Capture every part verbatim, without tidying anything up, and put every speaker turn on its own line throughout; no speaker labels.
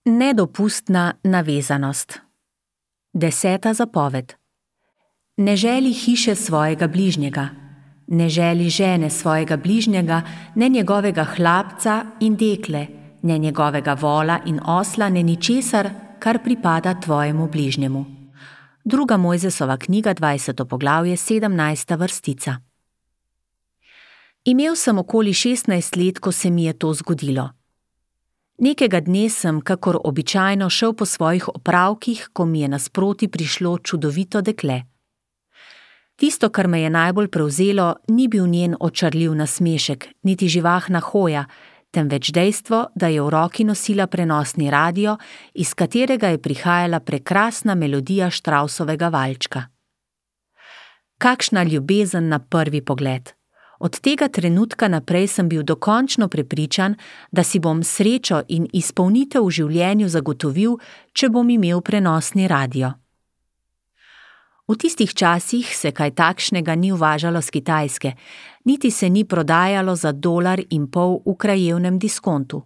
Nedopustna navezanost. Deseta zapoved. Ne želi hiše svojega bližnjega, ne želi žene svojega bližnjega, ne njegovega hlapca in dekle, ne njegovega vola in osla, ne ničesar, kar pripada tvojemu bližnjemu. Druga Mojzesova knjiga, dvajseto poglavje, sedemnajsta vrstica. Imel sem okoli šestnajst let, ko se mi je to zgodilo. Nekega dne sem, kakor običajno, šel po svojih opravkih, ko mi je nasproti prišlo čudovito dekle. Tisto, kar me je najbolj prevzelo, ni bil njen očarljiv nasmešek, niti živahna hoja, temveč dejstvo, da je v roki nosila prenosni radio, iz katerega je prihajala prekrasna melodija Štravsovega valčka. Kakšna ljubezen na prvi pogled! Od tega trenutka naprej sem bil dokončno prepričan, da si bom srečo in izpolnitev v življenju zagotovil, če bom imel prenosni radio. V tistih časih se kaj takšnega ni uvažalo s Kitajske, niti se ni prodajalo za dolar in pol v krajevnem diskontu.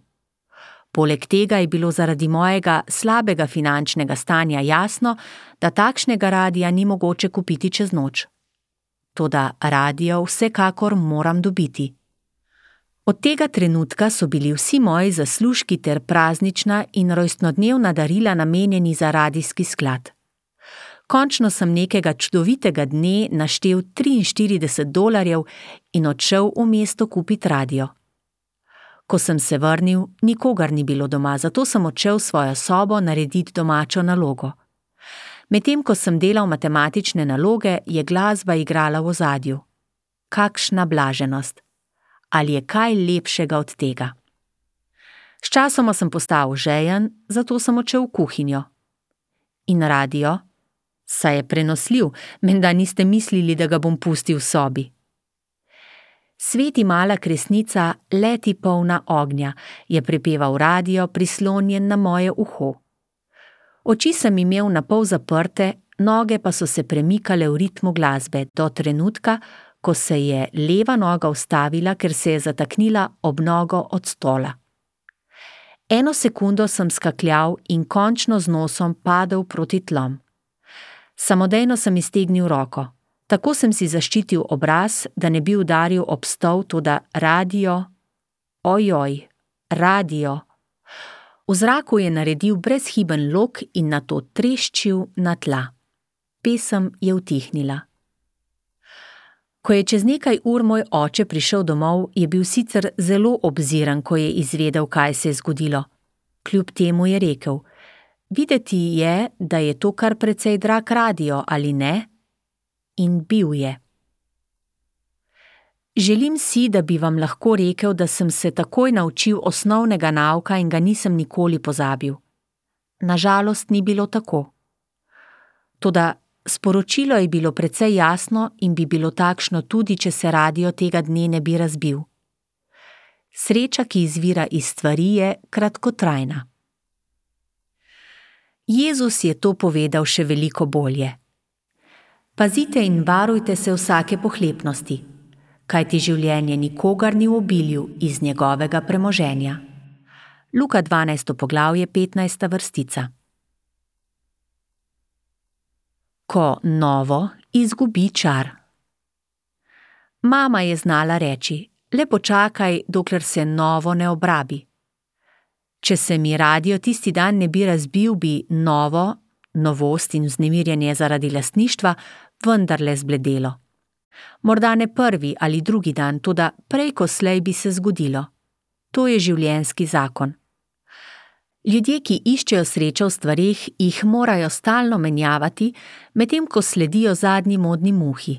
Poleg tega je bilo zaradi mojega slabega finančnega stanja jasno, da takšnega radia ni mogoče kupiti čez noč. Toda radio vsekakor moram dobiti. Od tega trenutka so bili vsi moji zaslužki ter praznična in rojstnodnevna darila namenjeni za radijski sklad. Končno sem nekega čudovitega dne naštel triinštirideset dolarjev in odšel v mesto kupit radio. Ko sem se vrnil, nikogar ni bilo doma, zato sem odšel v svojo sobo narediti domačo nalogo. Medtem ko sem delal matematične naloge, je glasba igrala v ozadju. Kakšna blaženost! Ali je kaj lepšega od tega? Sčasoma sem postal žejen, zato sem odšel v kuhinjo. In radio? Saj je prenosljiv, menda niste mislili, da ga bom pustil v sobi. Sveti mala kresnica, leti polna ognja, je prepeval radio, prislonjen na moje uho. Oči sem imel napol zaprte, noge pa so se premikale v ritmu glasbe do trenutka, ko se je leva noga ustavila, ker se je zataknila ob nogo od stola. Eno sekundo sem skakljal in končno z nosom padel proti tlom. Samodejno sem iztegnil roko. Tako sem si zaščitil obraz, da ne bi udaril ob stol, toda radio, ojoj, radio. V zraku je naredil brezhiben lok in nato treščil na tla. Pesem je utihnila. Ko je čez nekaj ur moj oče prišel domov, je bil sicer zelo obziran, ko je izvedel, kaj se je zgodilo. Kljub temu je rekel: videti je, da je to kar precej drag radio, ali ne? In bil je. Želim si, da bi vam lahko rekel, da sem se takoj naučil osnovnega nauka in ga nisem nikoli pozabil. Nažalost ni bilo tako. Toda sporočilo je bilo precej jasno in bi bilo takšno tudi, če se radio tega dne ne bi razbil. Sreča, ki izvira iz stvari, je kratkotrajna. Jezus je to povedal še veliko bolje. Pazite in varujte se vsake pohlepnosti, kajti življenje nikogar ni v obilju iz njegovega premoženja. Luka dvanajsto poglavje, petnajsta vrstica. Ko novo izgubi čar. Mama je znala reči: le počakaj, dokler se novo ne obrabi. Če se mi radio tisti dan ne bi razbil, bi novo, novost in vznemirjenje zaradi lastništva vendarle zbledelo. Morda ne prvi ali drugi dan, toda prej ko slej bi se zgodilo. To je življenjski zakon. Ljudje, ki iščejo srečo v stvareh, jih morajo stalno menjavati, medtem ko sledijo zadnji modni muhi.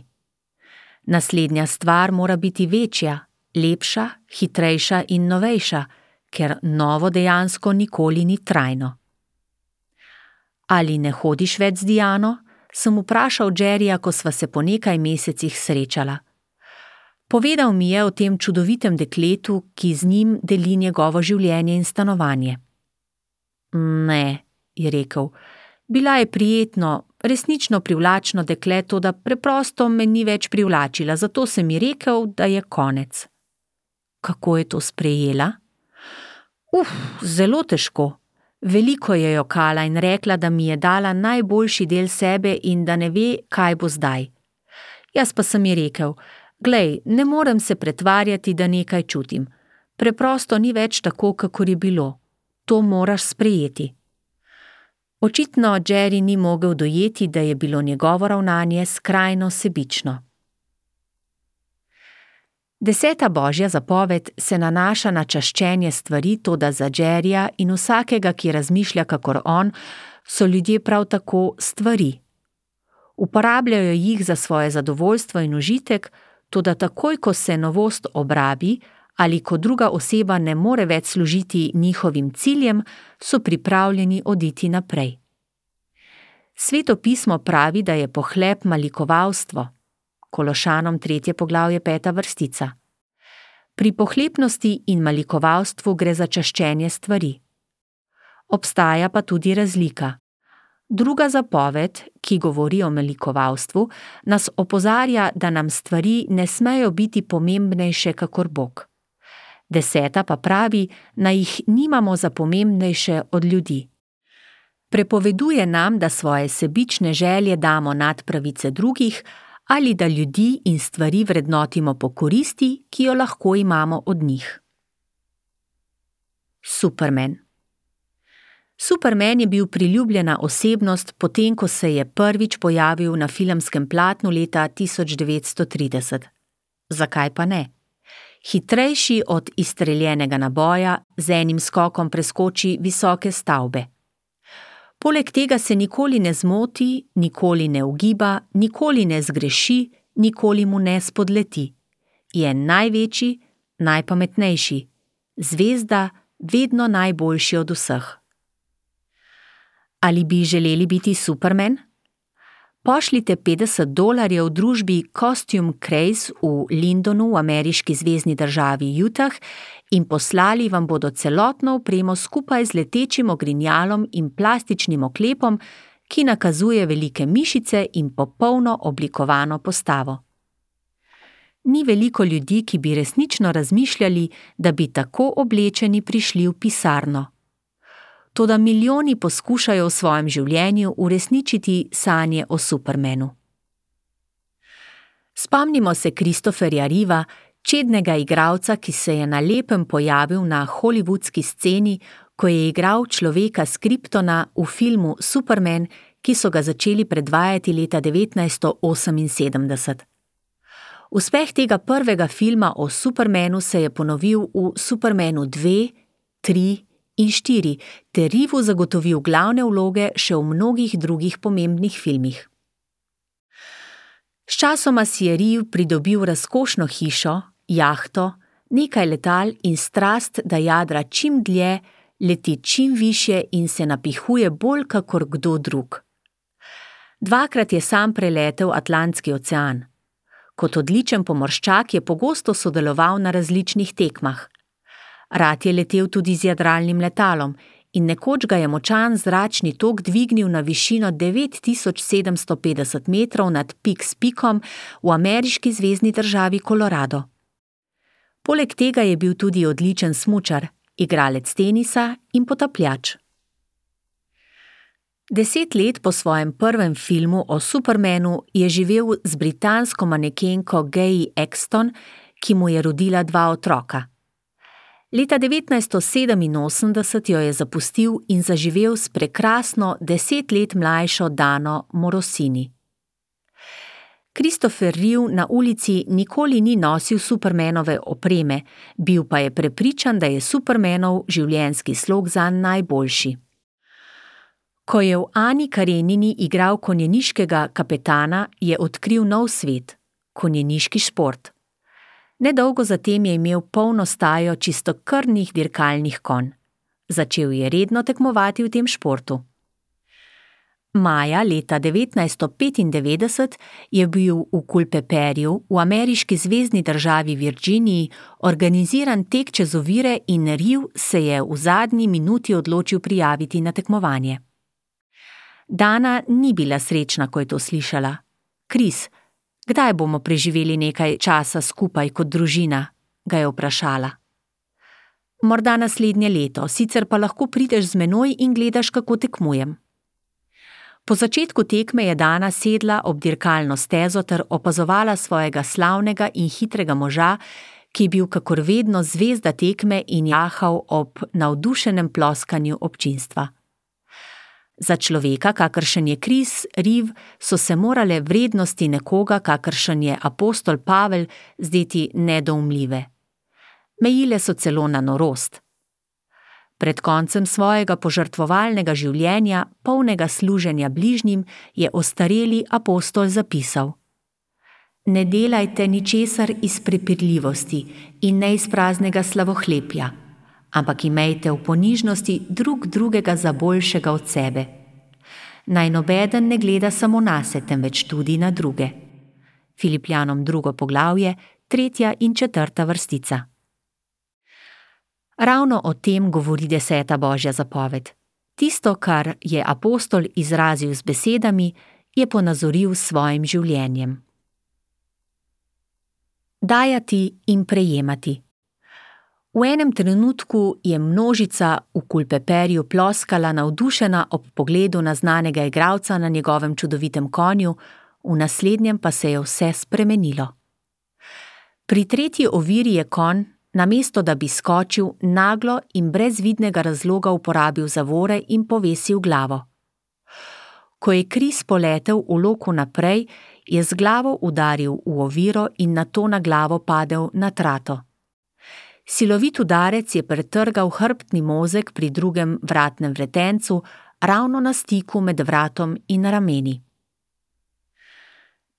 Naslednja stvar mora biti večja, lepša, hitrejša in novejša, ker novo dejansko nikoli ni trajno. Ali ne hodiš več z Diano? Sem vprašal Jerryja, ko sva se po nekaj mesecih srečala. Povedal mi je o tem čudovitem dekletu, ki z njim deli njegovo življenje in stanovanje. Ne, je rekel, bila je prijetno, resnično privlačno dekle, toda preprosto me ni več privlačila, zato sem ji rekel, da je konec. Kako je to sprejela? Uf, zelo težko. Veliko je jokala in rekla, da mi je dala najboljši del sebe in da ne ve, kaj bo zdaj. Jaz pa sem ji rekel: "Glej, ne morem se pretvarjati, da nekaj čutim. Preprosto ni več tako, kakor je bilo. To moraš sprejeti." Očitno Jerry ni mogel dojeti, da je bilo njegovo ravnanje skrajno sebično. Deseta božja zapoved se nanaša na čaščenje stvari, toda za Jerryja in vsakega, ki razmišlja kakor on, so ljudje prav tako stvari. Uporabljajo jih za svoje zadovoljstvo in užitek, toda takoj, ko se novost obrabi ali ko druga oseba ne more več služiti njihovim ciljem, so pripravljeni oditi naprej. Sveto pismo pravi, da je pohlep malikovalstvo. Kološanom tretje poglavje peta vrstica. Pri pohlepnosti in malikovalstvu gre za čaščenje stvari. Obstaja pa tudi razlika. Druga zapoved, ki govori o malikovalstvu, nas opozarja, da nam stvari ne smejo biti pomembnejše kakor Bog. Deseta pa pravi, naj jih nimamo za pomembnejše od ljudi. Prepoveduje nam, da svoje sebične želje damo nad pravice drugih ali da ljudi in stvari vrednotimo po koristi, ki jo lahko imamo od njih. Superman. Superman je bil priljubljena osebnost, potem ko se je prvič pojavil na filmskem platnu leta tisoč devetsto trideset. Zakaj pa ne? Hitrejši od izstreljenega naboja, z enim skokom preskoči visoke stavbe. Poleg tega se nikoli ne zmoti, nikoli ne ugiba, nikoli ne zgreši, nikoli mu ne spodleti. Je največji, najpametnejši, zvezda, vedno najboljši od vseh. Ali bi želeli biti Superman? Pošljite petdeset dolarjev v družbi Costume Craze v Lindonu v ameriški zvezni državi Utah in poslali vam bodo celotno opremo skupaj z letečim ogrinjalom in plastičnim oklepom, ki nakazuje velike mišice in popolno oblikovano postavo. Ni veliko ljudi, ki bi resnično razmišljali, da bi tako oblečeni prišli v pisarno. Toda milijoni poskušajo v svojem življenju uresničiti sanje o Supermanu. Spomnimo se Christopherja Reeva, čednega igralca, ki se je na lepem pojavil na hollywoodski sceni, ko je igral človeka s Kryptona v filmu Superman, ki so ga začeli predvajati leta devetnajststo oseminsedemdeset. Uspeh tega prvega filma o Supermanu se je ponovil v Supermanu dve, tri in štiri, ter Reevu zagotovil glavne vloge še v mnogih drugih pomembnih filmih. Sčasoma si je Reeve pridobil razkošno hišo, jahto, nekaj letal in strast, da jadra čim dlje, leti čim višje in se napihuje bolj kakor kdo drug. Dvakrat je sam preletel Atlantski ocean. Kot odličen pomorščak je pogosto sodeloval na različnih tekmah. Rad je letel tudi z jadralnim letalom in nekoč ga je močan zračni tok dvignil na višino devet tisoč sedemsto petdeset metrov nad Pikes Peakom v ameriški zvezni državi Colorado. Poleg tega je bil tudi odličen smučar, igralec tenisa in potapljač. Deset let po svojem prvem filmu o Supermanu je živel z britansko manekenko Gaye Exton, ki mu je rodila dva otroka. Leta devetnajststo sedeminosemdeset jo je zapustil in zaživel s prekrasno deset let mlajšo Dano Morosini. Christopher Reeve na ulici nikoli ni nosil Supermanove opreme, bil pa je prepričan, da je Supermanov življenjski slog zanj najboljši. Ko je v Ani Karenini igral konjeniškega kapetana, je odkril nov svet – konjeniški šport. Nedolgo zatem je imel polno stajo čistokrvnih dirkalnih konj. Začel je redno tekmovati v tem športu. Maja leta devetnajststo petindevetdeset je bil v Culpeperju v ameriški zvezni državi Virginiji organiziran tek čez ovire in Reeve se je v zadnji minuti odločil prijaviti na tekmovanje. Dana ni bila srečna, ko je to slišala. Chris, kdaj bomo preživeli nekaj časa skupaj kot družina, ga je vprašala. Morda naslednje leto, sicer pa lahko prideš z menoj in gledaš, kako tekmujem. Po začetku tekme je Dana sedla ob dirkalno stezo ter opazovala svojega slavnega in hitrega moža, ki je bil kakor vedno zvezda tekme in jahal ob navdušenem ploskanju občinstva. Za človeka, kakršen je Chris Reeve, so se morale vrednosti nekoga, kakršen je apostol Pavel, zdeti nedoumljive. Mejile so celo na norost. Pred koncem svojega požrtvovalnega življenja, polnega služenja bližnjim, je ostareli apostol zapisal: Ne delajte ničesar iz prepirljivosti in ne iz praznega slavohlepja, ampak imejte v ponižnosti drug drugega za boljšega od sebe. Naj nobeden ne gleda samo nase, temveč tudi na druge. Filipljanom drugo poglavje, tretja in četrta vrstica. Ravno o tem govori deseta Božja zapoved. Tisto, kar je apostol izrazil z besedami, je ponazoril s svojim življenjem. Dajati in prejemati. V enem trenutku je množica v Kulpeperju ploskala navdušena ob pogledu na znanega igralca na njegovem čudovitem konju, v naslednjem pa se je vse spremenilo. Pri tretji oviri je konj, namesto da bi skočil, naglo in brez vidnega razloga uporabil zavore in povesil glavo. Ko je Chris poletel v loku naprej, je z glavo udaril v oviro in nato na glavo padel na trato. Silovit udarec je pretrgal hrbtni mozeg pri drugem vratnem vretencu, ravno na stiku med vratom in rameni.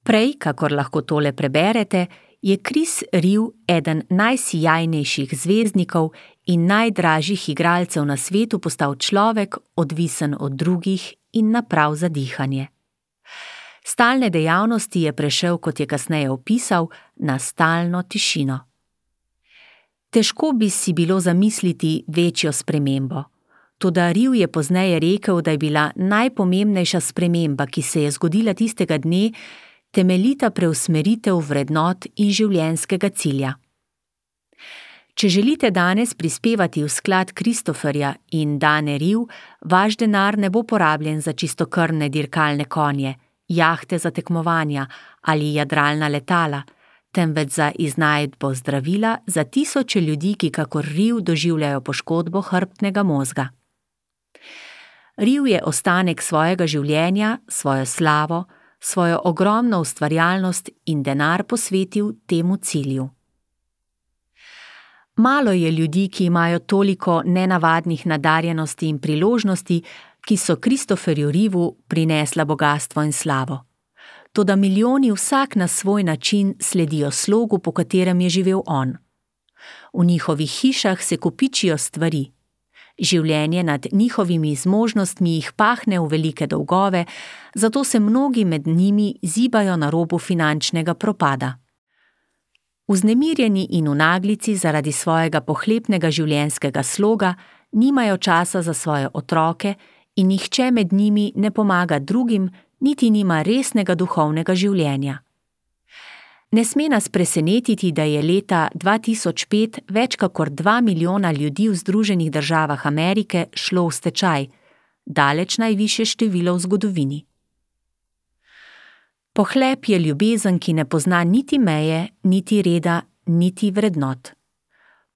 Prej, kakor lahko tole preberete, je Chris Reeve eden najsijajnejših zvezdnikov in najdražjih igralcev na svetu postal človek, odvisen od drugih in naprav za dihanje. Stalne dejavnosti je prešel, kot je kasneje opisal, na stalno tišino. Težko bi si bilo zamisliti večjo spremembo. Toda Reeve je pozneje rekel, da je bila najpomembnejša sprememba, ki se je zgodila tistega dne, temeljita preusmeritev vrednot in življenjskega cilja. Če želite danes prispevati v sklad Christopherja in Dane Reeve, vaš denar ne bo porabljen za čistokrvne dirkalne konje, jahte za tekmovanja ali jadralna letala, temveč za iznajdbo zdravila za tisoče ljudi, ki kakor Reeve doživljajo poškodbo hrbtnega mozga. Reeve je ostanek svojega življenja, svojo slavo, svojo ogromno ustvarjalnost in denar posvetil temu cilju. Malo je ljudi, ki imajo toliko nenavadnih nadarjenosti in priložnosti, ki so Christopherju Reeveu prinesla bogastvo in slavo. Toda milijoni vsak na svoj način sledijo slogu, po katerem je živel on. V njihovih hišah se kopičijo stvari. Življenje nad njihovimi zmožnostmi jih pahne v velike dolgove, zato se mnogi med njimi zibajo na robu finančnega propada. Vznemirjeni in v naglici zaradi svojega pohlepnega življenjskega sloga nimajo časa za svoje otroke in nihče med njimi ne pomaga drugim, niti nima resnega duhovnega življenja. Ne sme nas presenetiti, da je leta dva tisoč pet več kakor dva milijona ljudi v Združenih državah Amerike šlo v stečaj, daleč najvišje število v zgodovini. Pohlep je ljubezen, ki ne pozna niti meje, niti reda, niti vrednot.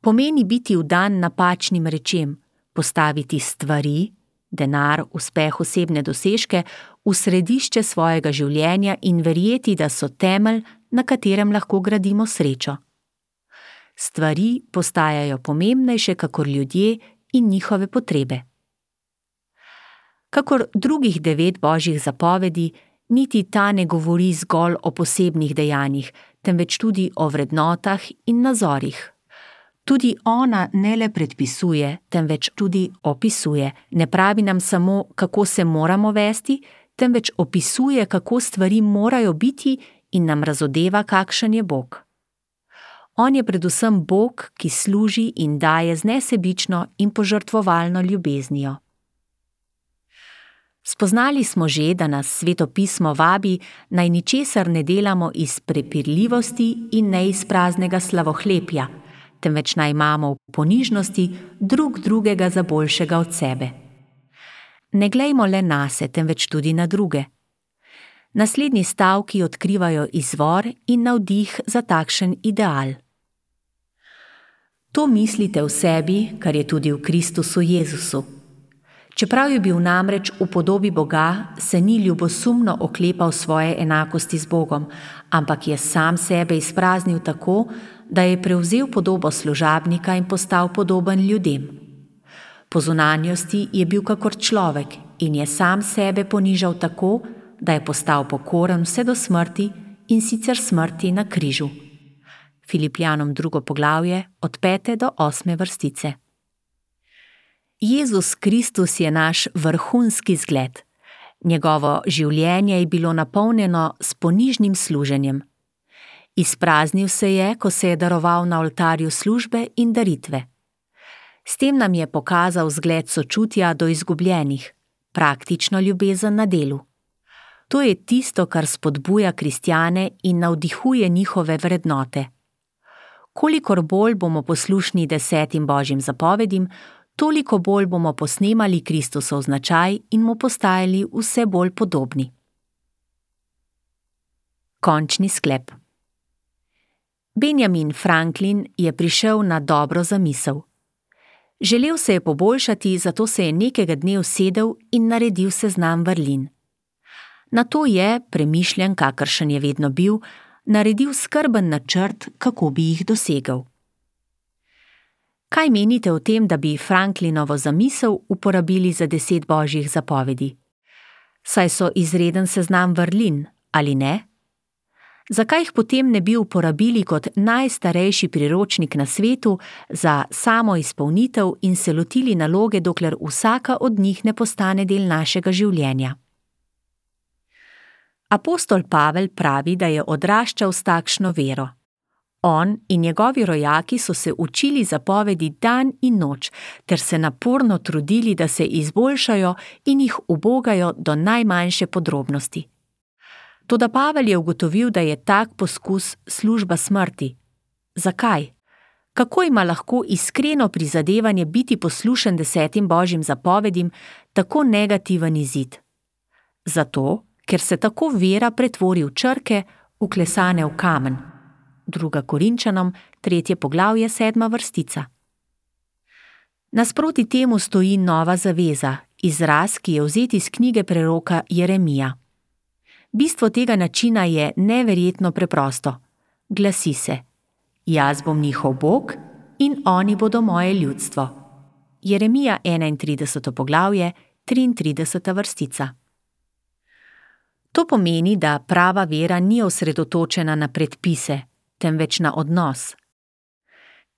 Pomeni biti vdan napačnim rečem, postaviti stvari, denar, uspeh, osebne dosežke v središče svojega življenja in verjeti, da so temelj, na katerem lahko gradimo srečo. Stvari postajajo pomembnejše kakor ljudje in njihove potrebe. Kakor drugih devet Božjih zapovedi, niti ta ne govori zgolj o posebnih dejanjih, temveč tudi o vrednotah in nazorih. Tudi ona ne le predpisuje, temveč tudi opisuje. Ne pravi nam samo, kako se moramo vesti, temveč opisuje, kako stvari morajo biti in nam razodeva, kakšen je Bog. On je predvsem Bog, ki služi in daje z nesebično in požrtvovalno ljubeznijo. Spoznali smo že, da nas Sveto pismo vabi, naj ničesar ne delamo iz prepirljivosti in ne iz praznega slavohlepja, temveč naj imamo v ponižnosti drug drugega za boljšega od sebe. Ne glejmo le nase, temveč tudi na druge. Naslednji stavki odkrivajo izvor in navdih za takšen ideal. To mislite v sebi, kar je tudi v Kristusu Jezusu. Čeprav je bil namreč v podobi Boga, se ni ljubosumno oklepal svoje enakosti z Bogom, ampak je sam sebe izpraznil tako, da je prevzel podobo služabnika in postal podoben ljudem. Po zunanjosti je bil kakor človek in je sam sebe ponižal tako, da je postal pokoren vse do smrti in sicer smrti na križu. Filipljanom drugo poglavje od pete do osme vrstice. Jezus Kristus je naš vrhunski zgled. Njegovo življenje je bilo napolnjeno s ponižnim služenjem. Izpraznil se je, ko se je daroval na oltarju službe in daritve. S tem nam je pokazal zgled sočutja do izgubljenih, praktično ljubezen na delu. To je tisto, kar spodbuja kristjane in navdihuje njihove vrednote. Kolikor bolj bomo poslušni desetim Božjim zapovedim, toliko bolj bomo posnemali Kristusov značaj in mu postajali vse bolj podobni. Končni sklep. Benjamin Franklin je prišel na dobro zamisel. Želel se je poboljšati, zato se je nekega dne usedel in naredil seznam vrlin. Nato je, premišljen, kakršen je vedno bil, naredil skrben načrt, kako bi jih dosegel. Kaj menite o tem, da bi Franklinovo zamisel uporabili za deset Božjih zapovedi? Saj so izreden seznam vrlin, ali ne? Zakaj jih potem ne bi uporabili kot najstarejši priročnik na svetu za samo izpolnitev in se lotili naloge, dokler vsaka od njih ne postane del našega življenja? Apostol Pavel pravi, da je odraščal s takšno vero. On in njegovi rojaki so se učili zapovedi dan in noč, ter se naporno trudili, da se izboljšajo in jih ubogajo do najmanjše podrobnosti. Toda Pavel je ugotovil, da je tak poskus služba smrti. Zakaj? Kako ima lahko iskreno prizadevanje biti poslušen desetim Božjim zapovedim tako negativen izid? Zato, ker se tako vera pretvori v črke, vklesane v kamen. Druga Korinčanom, tretje poglavje, sedma vrstica. Nasproti temu stoji nova zaveza, izraz, ki je vzet iz knjige preroka Jeremija. Bistvo tega načina je neverjetno preprosto. Glasi se: Jaz bom njihov Bog in oni bodo moje ljudstvo. Jeremija enaintrideseto poglavje, triintrideseta vrstica. To pomeni, da prava vera ni osredotočena na predpise, temveč na odnos.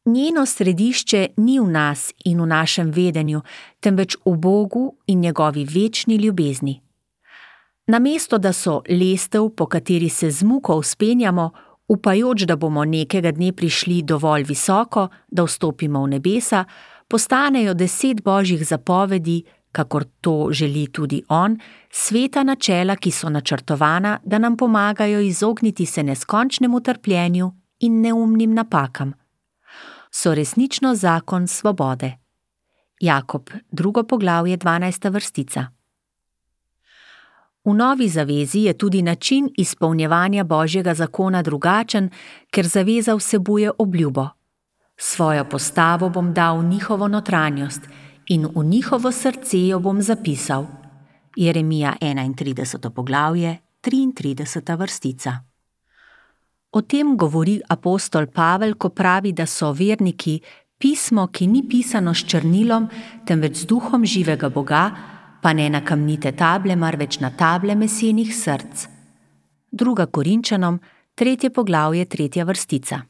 Njeno središče ni v nas in v našem vedenju, temveč v Bogu in njegovi večni ljubezni. Namesto da so lestev, po kateri se z muko vzpenjamo, upajoč, da bomo nekega dne prišli dovolj visoko, da vstopimo v nebesa, postanejo deset Božjih zapovedi, kakor to želi tudi on, sveta načela, ki so načrtovana, da nam pomagajo izogniti se neskončnemu trpljenju in neumnim napakam. So resnično zakon svobode. Jakob, drugo poglavje, dvanajsta vrstica. V novi zavezi je tudi način izpolnjevanja Božjega zakona drugačen, ker zaveza vsebuje obljubo. Svojo postavo bom dal v njihovo notranjost in v njihovo srce jo bom zapisal. Jeremija enaintrideseto poglavje, triintrideseta vrstica. O tem govori apostol Pavel, ko pravi, da so verniki pismo, ki ni pisano s črnilom, temveč z duhom živega Boga, pa ne na kamnite table, marveč na table mesenih src. Druga Korinčanom, tretje poglavje, tretja vrstica.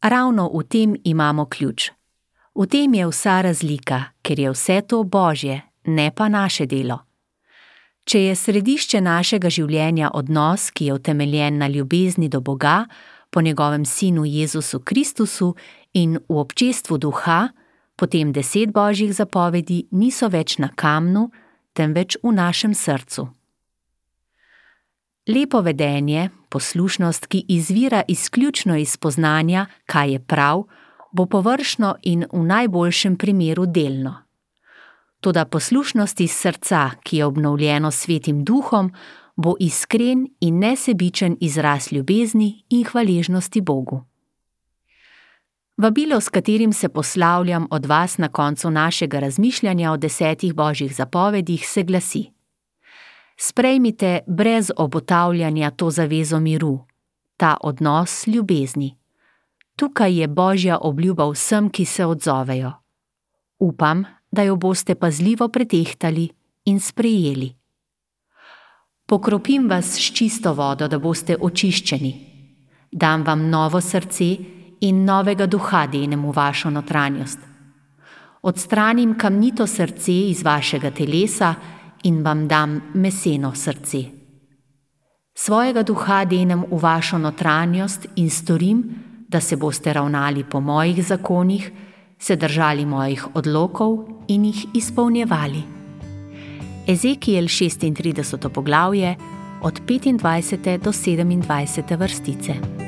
Ravno v tem imamo ključ. V tem je vsa razlika, ker je vse to Božje, ne pa naše delo. Če je središče našega življenja odnos, ki je utemeljen na ljubezni do Boga, po njegovem sinu Jezusu Kristusu in v občestvu duha, potem deset Božjih zapovedi niso več na kamnu, temveč v našem srcu. Lepo vedenje, Poslušnost, ki izvira izključno iz spoznanja, kaj je prav, bo površno in v najboljšem primeru delno. Toda poslušnost iz srca, ki je obnovljeno s Svetim Duhom, bo iskren in nesebičen izraz ljubezni in hvaležnosti Bogu. Vabilo, s katerim se poslavljam od vas na koncu našega razmišljanja o desetih božjih zapovedih, se glasi: sprejmite brez obotavljanja to zavezo miru, ta odnos ljubezni. Tukaj je božja obljuba vsem, ki se odzovejo. Upam, da jo boste pazljivo pretehtali in sprejeli. Pokropim vas s čisto vodo, da boste očiščeni. Dam vam novo srce in novega duha denem v vašo notranjost. Odstranim kamnito srce iz vašega telesa in vam dam meseno srce. Svojega duha denem v vašo notranjost in storim, da se boste ravnali po mojih zakonih, se držali mojih odlokov in jih izpolnjevali. Ezekiel šestintrideseto poglavje, od petindvajsete do sedemindvajsete vrstice.